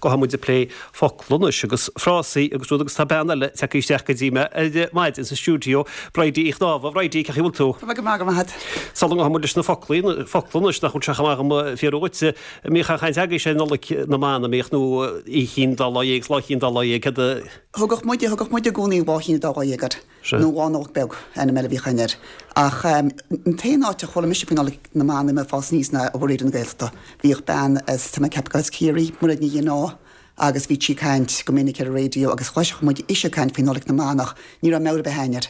Gabhfaidh muid ag plé focla anois agus frásaí agus rud agus tá bean eile tagtha isteach go dtí mé ar maidin sa stiúideo, Bridie Uí Chnámha. Bridie, cén chaoi a bhfuil tú? Tá mé go maith, go maith agat. Sula ngabhfaidh muid leis na foclaí, focla anois nach bhfuil sé chomh maith agam fiafraí dhuit, an mbíodh aon chaint agaibhse ar Nollaig na mBan, an mbíodh nó Oíche Chinn Dá Lá Dhéag 's Lá Chinn Dá Lá Dhéag, céard a. Thugadh muide, thugadh muid i gcónaí Lá Chinn Dá Lá Dhéag air, nó Lá Nollag Beag, ainm eile a bhíodh againn air. Ach an t-aon áit a chuala mise faoi Nollaig na mBan i mé ag fás aníos ná ó Raidió na Gaeltachta. Bhíodh bean as, tá mé ag ceapadh gur as Ciarraí, Mairéad Ní Ghinneá, agus bhí sí ag caint go minic ar an raidió agus chloiseadh muid ise ag caint faoi Nollaig na mBan ach ní raibh meabhair ar bith againn air.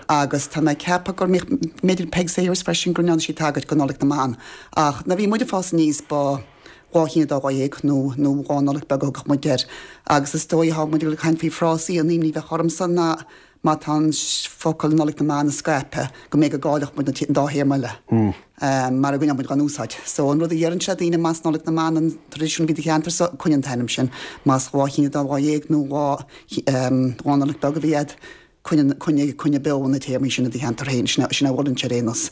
Agus tá mé ag ceapadh go mbíodh, b'fhéidir Peig Sayers freisin, go ndearna sí tagairt go Nollaig na mBan. Ach nuair a bhí muid ag fás aníos ba Lá Chinn Dá Lá Dhéag nó nó Lá Nollag Beag a thugadh muid air. Agus is dóigh tá muid ag caint faoi frásaí an imní a bheadh ormsa ná má tá an focal Nollaig na mBan scaipthe go mbeidh go gcaillfeadh muid an dá théarma eile mar a gcoinneoidh muid dhá n-úsáid. So an rud a dheireann sé daoine más Nollaig na mBan an traidisiún a bhí do cheantar so, coinnigh an t-ainm sin. Más Lá Chinn Dá Lá Dhéag nó Lá Lá Nollag Beag a bhí agat, coinnigh coinnigh coinnigh beo na téarmaí sin i do cheantar féin. Sin sin a mholfainnse ar aon nós.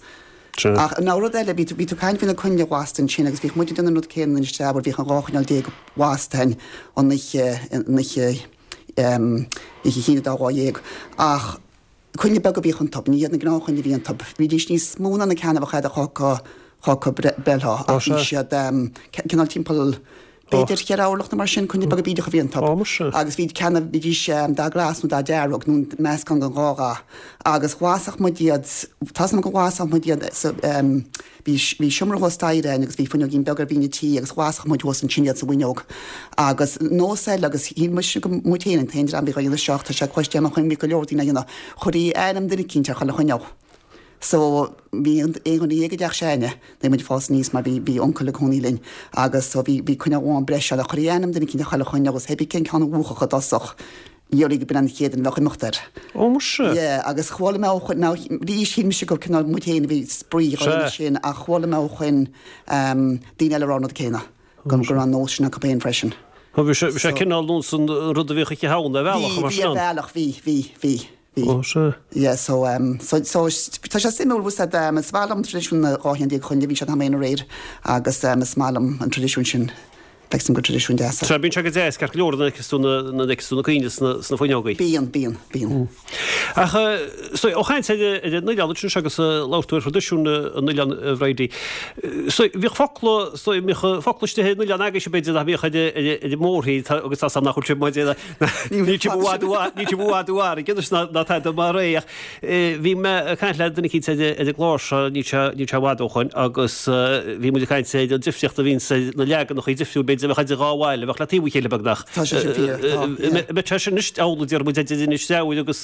Ach an rud eile, bhí tú bhí tú ag caint faoi na coinnle lasta ansin agus bhíodh muid ag déanamh an rud céanna in Inis Treabhair, bhíodh an 12 choinneal lasta againn an oíche an oíche Oíche Chinn an Dá Lá Dhéag. Ach coinnle beaga a bhíodh iontu, ní hiad na gnáthchoinnle a bhí iontu. Bhídís níos mó ná na ceanna a bheadh agat chucu breithlá ach bhí siad cineál timpeall b'fhéidir cheithre orlach nó mar sin, coinnle beaga bídeacha a bhí iontu. Agus bhí ceanna, bhídís dath glas nó dath dearg nó meascán den dhá dhath. Agus lasfadh muid iad, tá 's agam go lasfadh muid iad sa, Bhí, bhí seomra thuas staighre againn agus bhí fuinneoigín beag ar bhinn an tí agus lasfadh muid thuas ansin iad sa bhfuinneog. Agus nós eile agus shíl mise go muid féin an t-aon dream a bhí dhá dhéanamh seo ach tá sé cloiste agam ó shoin bhí go leor daoine á dhéanamh. Chuirtí ainm duine eicínt ar chuile choinneal. So bhí aon dhuine a éag i dteach s'againne nuair muid ag fás aníos mar bhí, bhí uncail ag cónaí linn agus so bhí, bhí coinneal amháin breise ann ach chuirtí ainm duine eicínt ar chuile choinneal agus pé cén ceann a mhúchfadh i dtosach. Dhéarfaí go b'in an chéad duine a bheadh imeacht air. Ó muise! Yeah, agus chuala mé ó shoin, now arís shíl mise gur cineál muid féin a bhí spraoi dhá dhéanamh sin ach chuala mé ó shoin daoine eile ag rá an rud céanna, go raibh an nós sin acu féin freisin. Bhí sé, bhí sé cineál nós an rud a bhíodh Oíche Shamhna ar bhealach, mar sin. Bhí, bhí ar bhealach, bhí, bhí, bhí, bhí. Ó sea. Yeah, so, so, so tá sé suimiúil, bhfuil 's a'd, is maith liom traidisiún na 12 cheann coinnle, bhí sé an t-am féin aréir agus is maith liom an traidisiún sin. Feicim gur traidisiún deas é. Sea, bíonn sé go deas, ceart go leor nuair a fheiceas tú na, nuair a fheiceas tú na coinnle sna, sna fuinneogaí. Bíonn, bíonn, bíonn. Ach, so, ó chaint ar, ar an oileán ansin agus labhair tú ar thraidisiún an oileáin, a Bhridie. So, bhíodh focla, so, bhíodh focla istigh ar an oileán agaibhse b'fhéidir nach mbíodh ar, ar, ar an mórthír, tá, agus tá 's agam nach bhfuil sibh maidir le, níl sibh i bhfad, níl sibh i bhfad ó fharraige anois ná, ná tada mar é ach, Bhí mé ag caint le duine eicínt ar an gclár seo níl sé níl sé i bhfad ó shoin agus bhí muid ag caint ar an difríocht a bhíonns ar na leaganacha difriúil b'fhéidir a bheadh idir dhá bhaile a bheadh le taobh a chéile beagnach. Tá sé sin fíor, tá, yeah. An mbeadh sé sin anois amhlaidh déarfaidh muid idir Inis Treabhair agus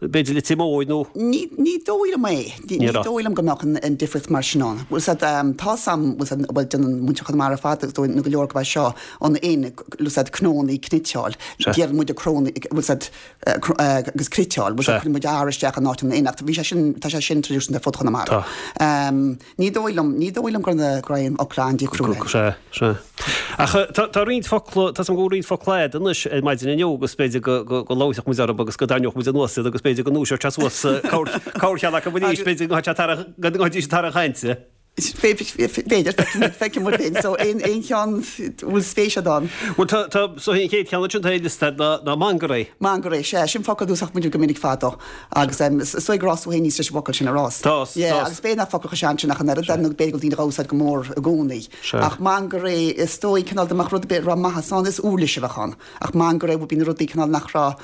b'fhéidir Leitir Móir nó. Ní ní dóigh liom é. Ní dóigh liom go mbeadh an an difríocht mar sin ann. Bhfuil 's a'd tá 's a'm bhfuil 's a'd bhuel déanann muintir Chonamara ar fad agus dóigh nó go leor go bhfuil seo an in bhfuil 's a'd cnónnaí cniotáil. Déarfaidh muid crónaí bhfuil 's a'd agus criotáil, bhuel cuireann muid R isteach in áit an N ach bhí sé sin, tá sé sin traidisiúnta ar fud Chonamara. Ní dóigh liom, ní dóigh liom go raibh aon fhocla an-difriúil ann. Sea, sea. Ach tá, tá roinnt focla, tá 's agam go bhfuil roinnt focla a'd anois ar maidin inniu agus b'fhéidir go, go, go labharfadh muid orthu agus go dtarraingeodh muid anuas iad agus b'fhéidir go ndúiseodh sé suas corrcheann acu arís, b'fhéidir go ngabhfaidís tar an chainte. B'fhéidir, feicfidh muid féin. So, aon cheann a bhfuil spéis agat ann? Bhuel, tá, tá, so an chéad cheann ansin atá ar liosta ná, ná mangarae. Mangarae, sea, sin focal a d'úsáid muid go minic fadó. Agus is dóigh gur fhás tú féin aníos leis an bhfocal sin a rás. Tá, tá. Yeah, agus b'fhéidir nach focal chomh sean sin ach an oiread, nó b'fhéidir go bhfuil daoine dhá úsáid go mór i gcónaí. Sea. Ach mangarae, is dóigh, cineál dá mbeadh rud ar bith a raibh maitheas ann, is uirlis a bheadh ann. Ach mangarae would be na rudaí cineál nach raibh,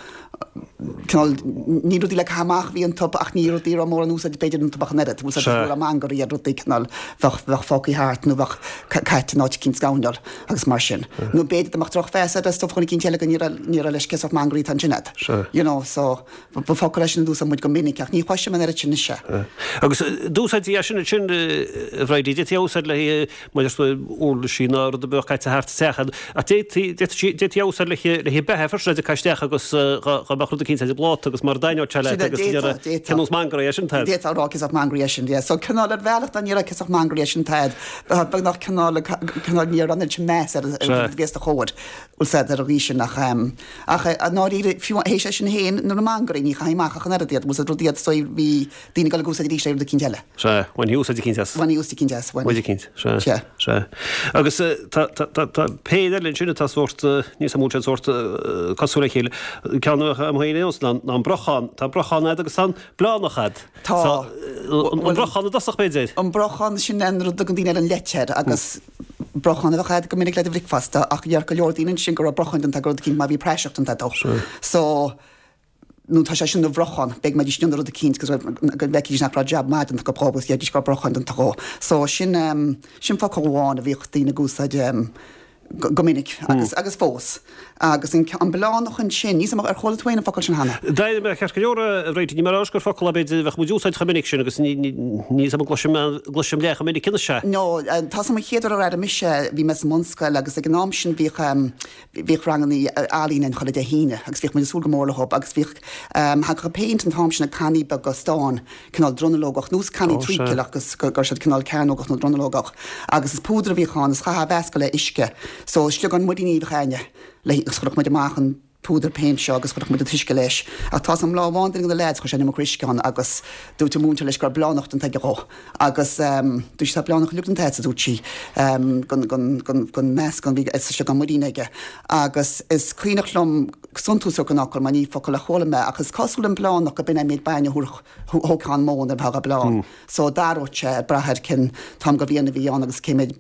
cineál, ní rudaí le caitheamh amach a bhí iontu ach ní rudaí a raibh mórán úsáid b'fhéidir iontu ach an oiread. Bhfuil 's a'd, go raibh mangarae ar rudaí cineál bheadh, bheadh fágtha thart nó bheadh caite in áit eicínt sa gcoirnéal agus mar sin. Nó b'fhéidir dá mbeadh drochmheas air ar stuif dhuine eicínt eile go ní raibh, ní raibh leis cén sórt mangarae atá ansin a'd. You know, so ba focal é sin a d'úsáid muid go minic ach ní chloisim an oiread sin anois é. Agus d'úsáidtí é sin ansin, a Bhridie, d'fhéadfaí a úsáid le haghaidh Maidir le uirlisí ná rud a bheadh caite thart sa teach, ach d'fhéadfaí a úsáid le haghaidh beatha freisin, a caitheadh isteach agus dá mbeadh rud eicínt ar an bpláta agus mara dtaitneodh sé leat agus cén nós mangarae é sin, D'fhéadfá a rá cén sórt mangarae é sin, yeah. So cineál ar bhealach dá ndéarfá cén sórt. mangairí é sin atá a'd, beagnach cineál, cineál ní raibh an oiread sin meas ar an rud a bhí os do chomhair, bhfuil 's a'd, ar an gcaoi sin ach, ach i ndáiríre, fiú théis é sin féin, nuair na mangairí, ní chaithfí amach ach an oiread iad, bhfuil 's a'd, rud iad so bhí daoine ag dul ag úsáid arís é rud eicínt eile. Sea, bhainfí úsáid eicínt as. Bhainfí úsáid eicínt as, bhainfí. Úsáid eicínt, sea. Sea. Sea. Agus tá, tá, tá, tá péire eile ansin atá sórt, níl 's a'm an bhfuil siad sórt cosúil le chéile. Ceann a bheadh a'm féin ar aon nós ná, ná an brochán. Tá an brochán a'd agus tá an bleánach a'd. Tá. An brochán i dtosach b'fhéidir? An brochán, sin an rud a dtugann daoine ar an letter agus brochán a bheadh a'd go minic le do bhricfeasta ach dheir go leor daoine ansin go raibh brochán déanta go rud eicínt má bhí praiseach déanta dó. So, nó tá sé sin ina bhrochán, b'fhéidir go mbeidís ag déanamh rud eicínt go bhfeicfidís nach raibh jab maith déanta acu dhóibh agus deiridís go raibh brochán déanta dhó. So sin, sin focal amháin a bhíodh daoine ag úsáid go minic agus, agus fós. Agus an, an bleánach ansin, níl 's a'm ar chuala tú féin an focal sin cheana? D'airigh mé ceart go leor a Bhridie, ní mar gur focal é b'fhéidir a bheadh muid ag úsáid chomh minic sin agus ní, ní, níl 's a'm an gcloisim, gcloisim leath chomh minic anois é. No, tá 's a'm an chéad uair ar airigh mise, bhí mé sa mbunscoil agus ag an am sin bhíodh, Bhíodh ranganna ealaíne ann chuile Dé hAoine agus bhíodh muid ag súil go mór leo agus bhíodh, thagadh an péint an t-am sin i cannaí beaga stáin, cineál dronuilleogach, nós cannaí treacle agus go raibh siad cineál cearnógach nó dronuilleogach agus is púdar a bhíodh ann is chaithfeá a mheascadh le uisce so sliogán muiríní a bheadh a'inne le agus chuirfeadh muid amach an púdar péint seo agus chuirfeadh muid an t-uisce leis ach tá 's a'm lá amháin duine de na leaids chuir sé an iomarca uisce ann agus dúirt an múinteoir leis go raibh bleánach déanta aige dhó. Agus dúirt sí, tá bleánach uilig déanta agat, a dúirt sí, den meascán a bhí sa sliogán muirín aige. Agus is cuimhneach liom suntas a thabhairt don fhocal, mar ní focal a chuala mé, ach is cosúil an bleánach go b'in é an méid bainne a thabharfadh, thógfá an mhóin nuair a bheifeá á bleán. So d'athródh sé, ag brath ar cén t-am de bhliain a bhí ann agus cé méid,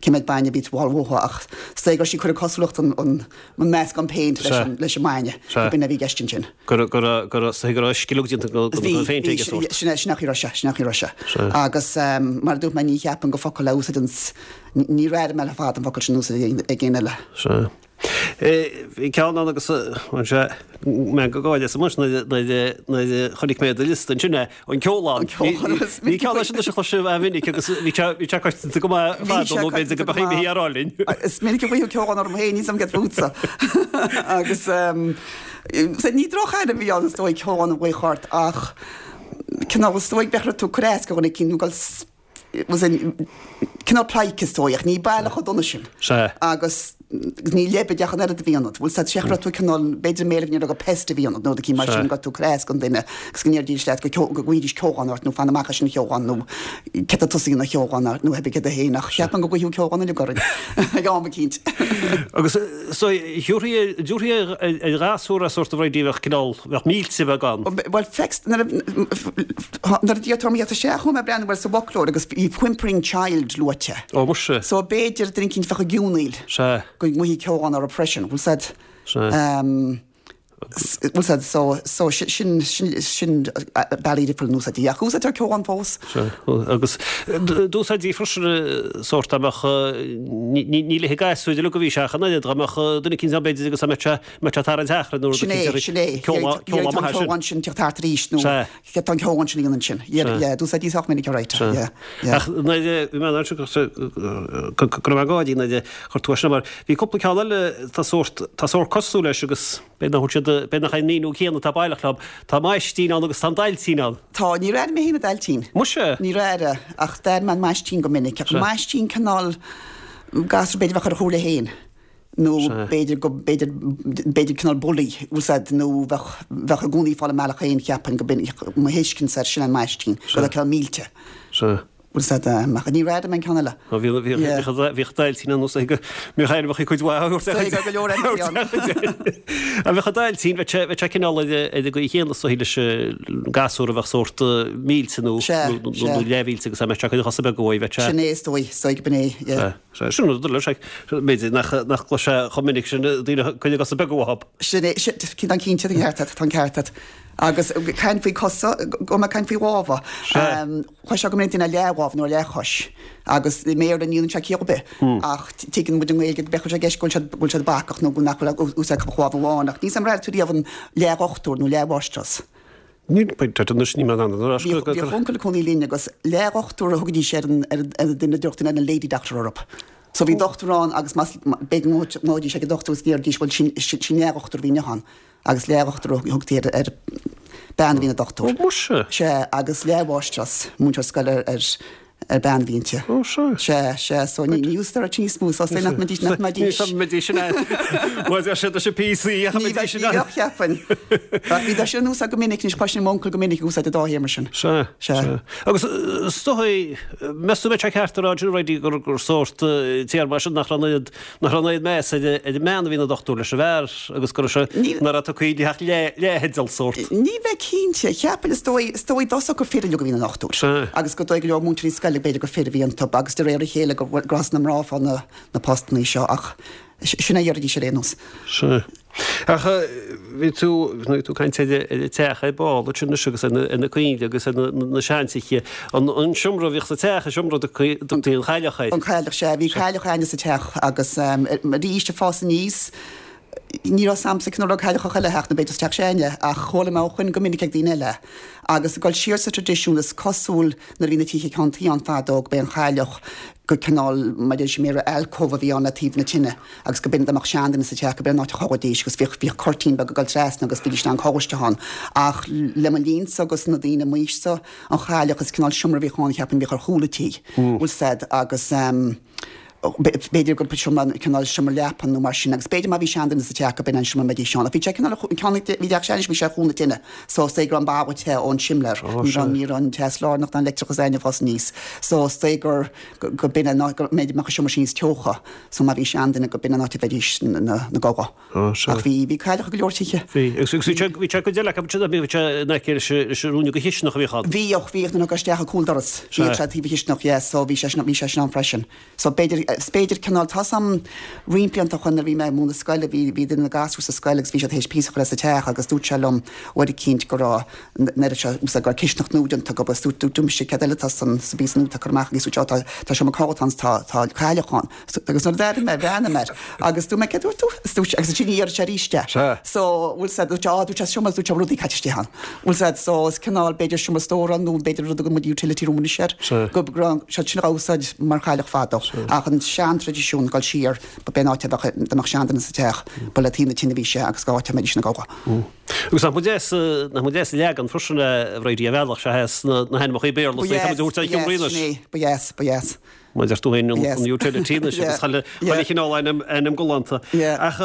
cé méid bainne a bhí tú a fháil uathu. Ach is dóigh go raibh sí ag cur an cosúlacht an meascán péint leis an mbainne, go b'in a bhí i gceist ansin. Go raibh, go raibh, go raibh, go raibh uisce uilig déanta den phéint aige sórt. Sin é, sin é an chaoi a raibh sé, sin é an chaoi a raibh sé. Agus mar a dúirt mé, ní cheapaim gur focal a úsáideann, níor airigh mé le fada an focal sin in úsáid ag éinne eile. Sea. Bhí ceann ann agus bhain sé meangadh gáire asam nuair a chonaic mé do liosta ansin é, an ceolán. An ceolán. Ní ceann é sin anois a chloisim an-mhinic agus bhí sé bhí sé coitianta go maith fadó nó b'fhéidir go mbeadh imithe ar álainn. Is minic a ghlaothú ceolán orm féin, níl 's a'm céard fútsa. Agus ní drochainm a bhí ann is dóigh ceolán a ghlaoch ort ach cineál is dóigh bheadh tú ag cur as do dhuine eicínt nó go cineál pleidhce is dóigh ach ní baileach chomh dona sin. Sea. Agus ní leibide ach an oiread a bhí ionat. Bhfuil 's a'd, seachas go raibh tú cineál, b'fhéidir i mBéarla go ndéarfá gur pest a bhí ionat nó rud eicínt mar sin, go raibh tú ag cur as don duine agus go ndéarfaidís leat go go nglaoidís ceolán ort nó fan amach as sin a cheolán nó céard tá tusa a dhéanamh a cheolán nó pé ar bith céard é féin ach cheapfainn go gcuirfeadh ceolán uilig orainn ag am eicínt. Agus so thiúrfaí dtabharfaí ar ghasúr é sórt a Bhridie bheadh cineál, bheadh millte beag ann. Bhuel feic nuair a nuair a d'iarr tú orm a theacht isteach chuaigh mé ag breathnú air sa bhfoclóir agus bhí whimpering child luaite. Ó muise. So b'fhéidir duine eicínt bheadh ag geonaíl. Sea. Go nglaofaí ceolán orthu freisin. Bhfuil 's a'd. Sea. Bhfuil 's a'd so so sin sin sin bealaí difriúla in úsáidtí. Ach úsáidtear ceolán fós. Sea. Agus d'úsáidtí freisin sórt dá mbeadh ní ní ní le gasúir uilig a bhí sé ach an oiread dá mbeadh duine eicínt ann b'fhéidir agus dá mbeadh sé mbeadh sé tarraingt achrainn nó rud Sin é, sin é. Ceolán ceolán maith é sin. An ceolán sin teacht thart arís nó Sea. céard tá an ceolán sin a dhéanamh ansin. Yeah, yeah, d'úsáidtí sách minic alright. Sea. Yeah, yeah. Ach nuair a bhí mé ansin go go go raibh mé ag gáirí nuair a chuir tú é sin mar bhí cúpla ceann eile tá sórt tá sórt cosúil leis agus b'fhéidir nach bhfuil siad b'fhéidir nach é an míniú céanna atá baileach leo. Tá maistín ann agus tá an dailtín ann. Tá, níor airigh mé féin an dailtín. Muise! Níor airigh, ach d'airigh mé an maistín go minic. Ach an maistín cineál gasúr b'fhéidir a bheadh ar a shúile féin. nó b'fhéidir go, b'fhéidir, b'fhéidir cineál bully, úsáid nó bheadh, bheadh i gcónaí ag fáil a mbealach féin cheapfainn go b'in, mo thuiscint air sin an maistín, go raibh cineál millte. Sea. Bhfuil 's a'd, ach níor airigh mé an ceann eile. Ó bhí, bhí, bhí, bhíodh dailtín ann is go mbíodh ainmneacha cuid mhaith á thabhairt ar go leor ainmneacha ann. Ach bheadh an dailtín, bheadh sé, bheadh sé cineál ar ar an gcaoi chéanna is dóigh leis an gasúr a bheadh sórt millte nó, nó, nó leathmhillte agus dá mbeadh sé ag cur a chosa beaga uaidh, bheadh sé. Sin é is dóigh, is dóigh go b'in é, yeah. Sea. Sea, sin rud eile, sea, b'fhéidir nach, nach gcloisfeá chomh minic sin daoine ag cur a gcosa beaga uathu. Sin é, sin, tá cinnte, tá an ceart agat, tá an ceart agat. Agus caint faoi cosa, go mbeadh caint faoi lámha. Sea. Chloisfeá go minic duine leathlámh nó leathchois agus i mBéarla ní dhéanann sé ciall ar bith ach tuigeann muid i nGaeilge go b'fhéidir go bhfuil sé i gceist go bhfuil siad, go bhfuil siad bacach nó nach bhfuil úsáid acu ach lámh amháin ach níl 's a'm ar airigh tú riamh an leathdhochtúir nó leathmháistreás. Níl, beidh anois, níl mé in ann ar ais go. Bhíodh uncail ag cónaí linn agus leathdhochtúir a thugaidís ar an ar an duine a dúirt duine an lady doctor orthu. So bhí dochtúir ann agus más b'fhéidir go ngabhaidís ag an dochtúir agus déarfaidís bhuel sin sin leathdhochtúir a bhí inniu ann agus leathdhochtúir a thugtaí ar ar bean a bhí ina dochtúir. Ó muise! Sea, agus leathmháistreás, múinteoir scoile ar ar. Ar bean a bhí inti. Ó, sea. Sea, sea, so ní úsáidtear níos mó, so is nach mbeidís, nach mbeidís. Ní mbeidís in ann. Má deir siad leis an PC, ach an mbeidís in ann. Ní bheadh, cheapfainn. Ach bhí sé in úsáid go minic, anois cloisim m'uncail go minic ag úsáid an dá théarma sin. Sea, sea. Agus is dóigh, meas tú an mbeadh sé ceart a rá ansin, Bridie, gur, gur sórt téarma é sin nach raibh an oiread, nach raibh an oiread meas ar an mbean a bhí ina dochtúir leis an bhfear agus go raibh sé, nach raibh tugtha di ach leath-theideal sórt. Ní bheinn cinnte. Cheapfainn, is dóigh, is dóigh i dtosach gur fir uilig a bhí ina ndochtúir. Sea. Agus gur dóigh go leor múinteoirí scoile b'fhéidir gur fir a bhí iontu agus de réir a chéile go gur thosaigh na mná ag fáil na, na postannaí seo ach sin é a deiridís ar aon nós. Sea. Ach bhí tú, bhí tú ag caint ar an teach ar ball ansin anois agus ar na, ar na coinnle agus ar na, na seantithe. An, an seomra a bhíodh sa teach, an seomra a dtugtaí an chailleach air. An chailleach, sea. Bhí cailleach againne sa teach agus arís ag fás aníos, ní raibh 's a'msa cén raibh cailleach chuile theach nó b'fhéidir sa teach s'againne ach chuala mé ó shoin go minic ag daoine eile. Agus ag dul siar sa traidisiún is cosúil nuair a bhí na tithe ceann tuí ann fadó go b'é an chailleach go cineál mar a deir siad i mBéarla alcove a bhí ann le taobh na tine agus go b'in dá mbeadh seanduine sa teach go b'in an áit a chodlaídís agus bhíodh bhíodh cuirtín beag ag dul trasna agus bhídís in ann codladh isteach ann. Ach le mo linnsa agus na daoine m'aois-sa an chailleach is cineál seomra a bhíodh ann cheapfainn a bhíodh ar chúl an tí bhfuil 's a'd agus ehm b'fhéidir gur seomra cineál seomra leapan nó mar sin agus b'fhéidir má bhí seanduine sa teach go b'in an seomra a mbeidís ann. Ach bhí sé cineál an ceann bhí teach s'againne bhí sé ar chúl na tine so is dóigh go raibh an balla te ón simléar. Ní raibh ní raibh an teas lárnach ná an leictreachas againne ag fás aníos so is dóigh gur go b'in an áit go mb'fhéidir mbeadh an seomra sin níos teocha so má bhí seanduine go b'in an áit a bheidís ina gcodladh. Ach bhí bhí cailleach i go leor tithe. Bhí agus bhí sé bhí sé go deil acu ansin bhí sé in aice leis leis an fhuinneog chisteanach a bhíodh ann. Bhíodh bhíodh nuair a thiocfá isteach an cúldoras. Bhíodh sé taobh an chisteanach yeah so bhí sé sin bhí sé sin ann freisin. So b'fhéidir is b'fhéidir cineál tá 's a'm roinnt blianta ó shoin nuair a bhí mé ag múineadh scoile bhí bhí duine de na gasúir sa scoil agus bhí siad théis píosa a chur as sa teach agus dúirt sé liom uair eicínt go raibh an oiread seo úsáid go raibh cisteanach nua déanta acu agus dúirt dúirt mise céard eile atá san sa bpíosa nua atá curtha amach agus dúirt sé ó tá tá seomra codlata ann 's tá tá cailleach ann. Agus nuair a d'airigh mé, bhreathnaigh mé air agus dúirt mé, céard dúirt tú? Is dúirt sé, agus ansin dh'iarr sé arís é. Sea. So, bhfuil 's a'd, dúirt sé, á, dúirt sé, seomra, dúirt sé, rudaí caite istigh ann. Bhfuil 's a'd, so is cineál, b'fhéidir seomra stórála nó b'fhéidir rud a dtugann muid utility room anois air. Sea. Go raibh siad sin á úsáid mar chailleach fadó. Sea. Ach an sean-traidisiún, dul siar, ba b'é an áit a bheadh, dá mbeadh seanduine sa teach, ba le taobh na tine a bhí sé agus go áit a mbeidís ina gcodladh. Agus nach mba deas, nach mba deas an leagan freisin a Bhridie, ar bhealach, sea, as na hainmneacha Béarla, Ba tá muid a dheas, thabhairt ba ar sheomraí dheas, anois. sin é, ba dheas, ba dheas. Mar a deir tú féin, an utility anois agus chuile chineál ainm, ainm galánta. Ach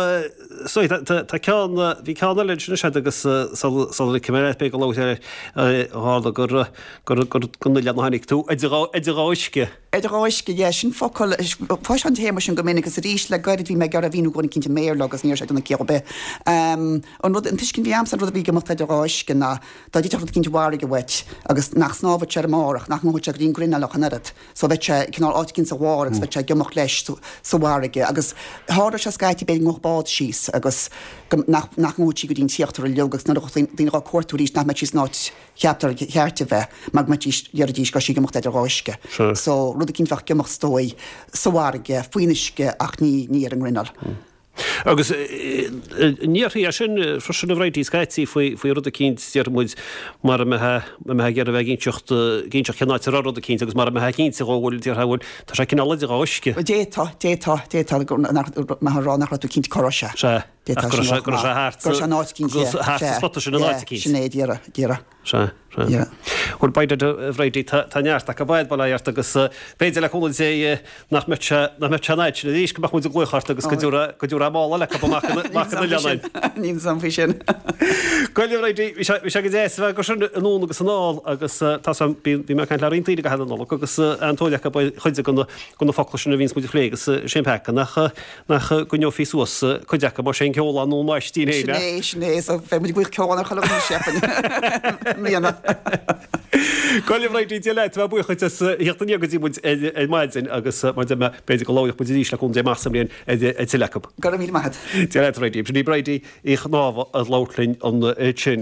so tá ceann, bhí ceann eile ansin is ea agus sula ligfidh mé leat b'fhéidir go labhairt air tharla gur, gur, gur gon oileán a tháinig tú, idir dhá, idir dhá uisce. Idir dhá uisce, yeah, sin focal, cloisim an téarma sin go minic agus arís le gairid bhí mé ag iarraidh a mhíniú do dhuine eicínt i mBéarla agus ní raibh sé ag déanamh ciall ar bith. An rud, an tuiscint a bhí a'msa ar an rud a bhí ag imeacht idir dhá uisce ná dá dtitfeadh rud eicínt i bhfarraige uait agus nach snámhfadh sé ar an mbarr ach nach ngabhfadh sé go dtí an grinneall ach an oiread. So bheadh sé cineál áit eicínt sa bharr agus bheadh sé ag imeacht leis sa bhfarraige agus tharlódh sé scaití b'fhéidir go ngabhfadh bád síos agus go, nach, nach ngabhfadh sí go dtí an t-íochtar uilig agus nuair a bheadh daoine dhá cuartú arís nach mbeadh sí san áit cheaptar cheart a bheith mar go mbeidís, déarfaidís go raibh sí ag imeacht idir dhá uisce. So rud eicínt bheadh ag imeacht is dóigh sa bhfarraige, faoin uisce ach ní, ní ar an ngrinneall. Agus an ndéarfaí é sin freisin a Bhridie scaití faoi rud eicínt, déarfaidh muid, mara mbeifeá ag iarraidh a bheith ag inseacht, ag inseacht cén áit a raibh rud eicínt agus mara mbeifeá cinnte dhó, bhuel, déarfá, bhuel, tá sé cineál idir dhá uisce. D'fhéadfá, d'fhéadfá, d'fhéadfá go, nach, mbeifeá ag rá nach raibh tú cinnte cá raibh sé. Sea, D'fhéadfá ach go sin raibh a sé, rá go raibh sé chomh maith. thart Go raibh sé in áit eicínt, go yeah, thart sa sea, spota sin in yeah, áit eicínt. sin é, déarfá, déarfá. Sea, sea. Yeah. Bhuel, by dad, a Bhridie, tá, tá neart acu bád bail ó Dhia ort agus b'fhéidir le cúnamh Dé nach mbeadh sé, nach mbeadh sé an fhad sin arís go mbeadh muid ag glaoch ort agus go dtabharfá, go dtabharfá mála eile acu amach an, amach an oileán. Níl 'fhios a'm faoi sin. Go leor, a Bhridie, bhí sé, bhí sé go deas a bheith agat sin anonn agus anall agus tá 's a'm, bhí, bhí mé ag caint le roinnt daoine i gcaitheamh na Nollag agus an-tóir acu ar chuid de na, de na focla sin a bhíonns muid a phlé agus sé an peaca nach, Nach gcoinneofaí suas cuid acu mar sin ceol nó maistín féin, Sin é, sin é, so beidh muid ag glaoch ceol ar chuile dhuine cheapfainn i mbliana. Go leor, a Bhridie, Dia leat, tá mé buíoch duit as theacht aniar go dtí muid ar maidin agus mar a deir mé, b'fhéidir go labhróidh muid arís le cúnamh Dé amach sa mbliain ar tuilleadh acu. Go raibh míle maith agat. Dia leat, a Bhridie. Sin í Bridie Uí Chnámha ag labhairt linn ansin.